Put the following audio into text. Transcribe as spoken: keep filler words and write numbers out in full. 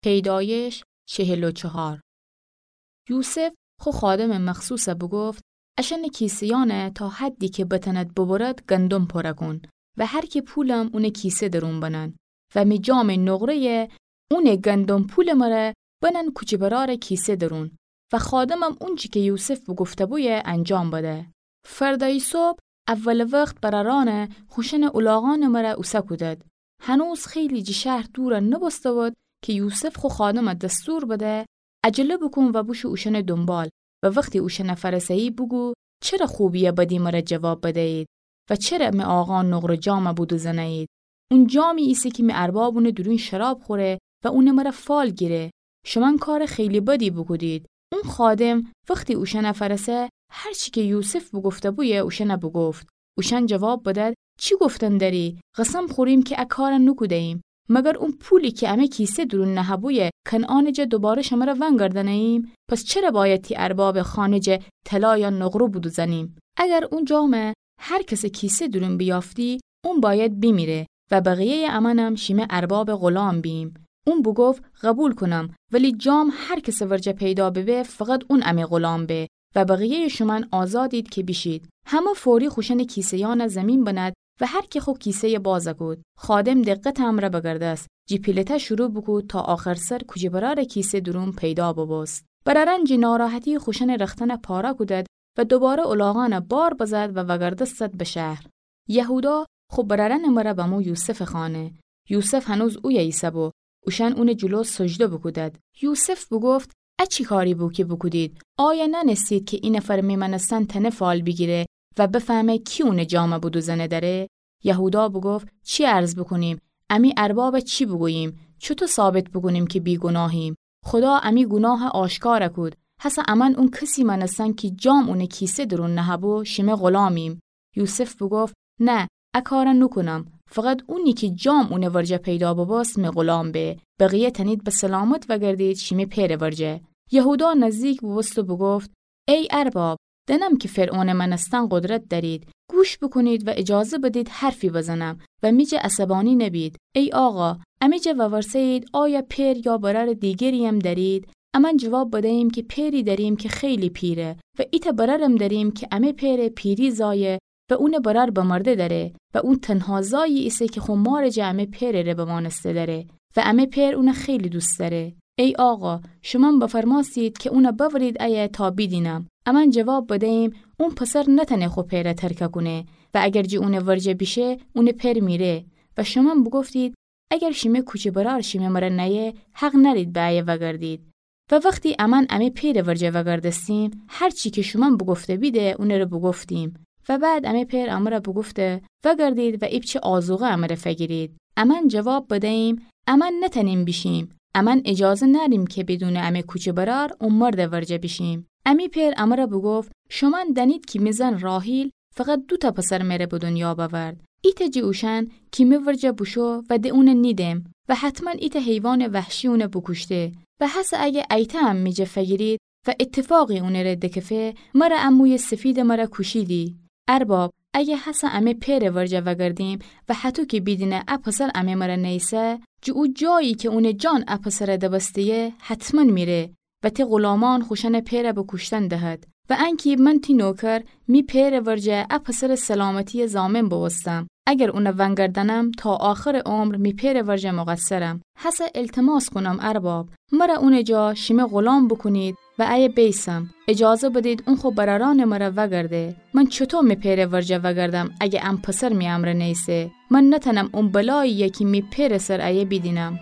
پیدایش چهل و چهار. یوسف خو خادمٚ مخصوص بوگفت: اشأنٚ کیسه‌یأن تا حدی کی بتأند ببرد گندم پره کون و هر کی پولم اونٚ کیسه درون بنن و می جامٚ نقره‌یَ اونٚ گندم پولٚ مره بنن کوچه برارٚ کیسه درون. و خادمم اونچی کی یوسف بوگفته‌بویه انجام بده. فردأیی صبح اولٚ وخت برأرأن خوشأنٚ الاغأنٚ مره اوسه کودد. هنوز خیلی جٚه شهر دور نوبوسته‌بود کی یوسف خو خادم دستور بده: عجله بوکون و بوشو اوشأنٚ دونبال و وختی اوشأن فأرسه‌یی بوگو: چره خوبی یا بدی مره جواب بده‌یید و چره می آقا نقره جام بودوزنه‌یید؟ اون جامی ایسه کی می ارباب اونٚ دورون شراب خوره و اونٚ مره فال گیره. شومأن کارٚ خیلی بدی بوکودید. اون خادم وختی اوشأن فأرسه هر چی کی یوسف بوگفته‌بویه اوشأن بوگفت. اوشأن جواب بدد: چی گفتن دأری؟ قسم خوریم کی ا کار نوکوده‌ییم. مگر اون پولی کی امه کیسه دورون نهه‌بویه کنعانٚ جا دوباره شمره ونگردنه‌ییم؟ پس چره بأید تی اربابٚ خانه جا طلا یا نقره بودوزنیم؟ اگر اون جام هر کسٚ کیسه دورون بیافتی، اون بأید بیمیره و بقیه‌یٚ امأنم شیمه اربابٚ غلام بییم. اون بوگفت: قبول کونم، ولی جام هر کسٚ ورجه پیدا ببه، فقط اون امه غلام به و بقیه‌یٚ شومأن آزادید کی بیشید. همه فوری خوشأنٚ کیسه‌یأن زیمین بند و هر کی خو کیسه‌یَ باز کود. خادم دقتٚ امرأ بگردست، جٚه پیلته شروع بوکود تا آخرسر کوچه برارٚ کیسه دورون پیدا ببوست. برأرأن جٚه ناراحتی خوشأنٚ رختأن پاره کودد و دوباره الاغأن بار بزد و وگردستد به شهر. یهودا خو برأرأنٚ مره بمو یوسفٚ خانه. یوسف هنوز اویه ایسه‌بو. اوشأن اونٚ جلو سجده بوکودد. یوسف بوگفت: ا چی کاری بو کی بوکودید؟ آیا نأنستید کی ای نفر می مأنستن تأنه فال بیگیره و بفهمه کی اونٚ جام بودوزنه دأره؟ یهودا بوگفت: چی عرض بوکونیم؟ امی ارباب چی بوگوییم؟ چوطو ثابت بوکونیم کی بیگوناهیم؟ خودا امی گوناه آشکار کود. هسه امأن اون کسی مأنستن کی جام اونٚ کیسه دورون نهه‌بو، شیمه غلامیم. یوسف بوگفت: نه، ا کار نوکونم. فقط اونی کی جام اونٚ ورجه پیدا ببوست می غلام به. بقیه تأنید به سلامت وگردید شیمی پئرٚ ورجه. یهودا نزدیک بوبوست و بوگفت: ای ارباب، دأنم کی فرعونٚ مأنستن قدرت دأرید. گوش بوکونید و اجازه بدید حرفی بزنم و می جا عصبانی نبید. ای آقا، امی جا وورسه‌یید آیا پئر یا برأرٚ دیگرییم دأرید؟ امأن جواب بده‌ییم کی پئری دأریم کی خیلی پیره و ایتأ برأرم دأریم کی امه پئرٚ پیری زایه و اونٚ برأر بمرده دأره و اون تنها زایی ایسه کی خو مارٚ جا امه پئرٚ ره بمأنسته دأره و امه پئر اون خیلی دوست دأره. ای آقا، شومأن بفرمأستید کی اون بأورید ایه تا بیدینم. امأن جواب بده‌ییم اون پسر نتأنه خو پئر ترک کونه و اگر جٚه اونٚ ورجه بیشه، اونٚ پئر میره. و شومأن بوگفتید اگر شیمه کوچه برأر شیمه مره نأیه، حق نأرید به ایه وگردید. و وختی امأن امه پئرٚ ورجه وگردستیم، هر چی کی شومأن بوگفته بیده، اونٚ ره بوگفتیم. و بعد امه پئر امره بوگفته: وگردید و ایپچه آذوقه امره فگیرید. امأن جواب بده‌ییم: امأن نتأنیم بیشیم. امأن اجازه نأریم کی بدونٚ امه کوچه برأر او مردٚ ورجه بیشیم. امی پئر امره بوگفت: شومأن دأنید کی می زن راحیل فقط دوتأ پسر مره به دونیا بأورد. ایتأ جٚه اوشأن کی می ورجه بوشو و د اون نیدم و حتماً ایتأ حیوانٚ وحشی اون بوکوشته. و هسه اگه ایتأ هم می جا فگیرید و اتفاقی اونٚ ره دکفه، مره ا مویٚ سفیدٚ مره کوشیدی. ارباب، اگه هسه امه پئرٚ ورجه وگردیم و هطو کی بیدینه ا پسر امه مره نیسه، جٚه او جایی کی اونٚ جان ا پسر دبسته‌یه، حتماً میره و تی غلامأن خوشأنٚ پئر به کوشتن دهد. و انکی من تی نوکر می پئرٚ ورجه ا پسرٚ سلامتیٚ ضامن بوبوستم. اگر اون ونگردأنم تا آخرٚ عمر می پئرٚ ورجه مقصرم. هسه التماس کونم ارباب، مره اونٚ جا شیمه غلام بوکونید و ایه بیسم. اجازه بدید اون خو برأرأنٚ مره وگرده. من چوطو می پئرٚ ورجه وگردم اگه ا پسر می امرأ نیسه؟ من نتأنم او بلایی‌یه کی می پئرٚ سر ایه بیدینم.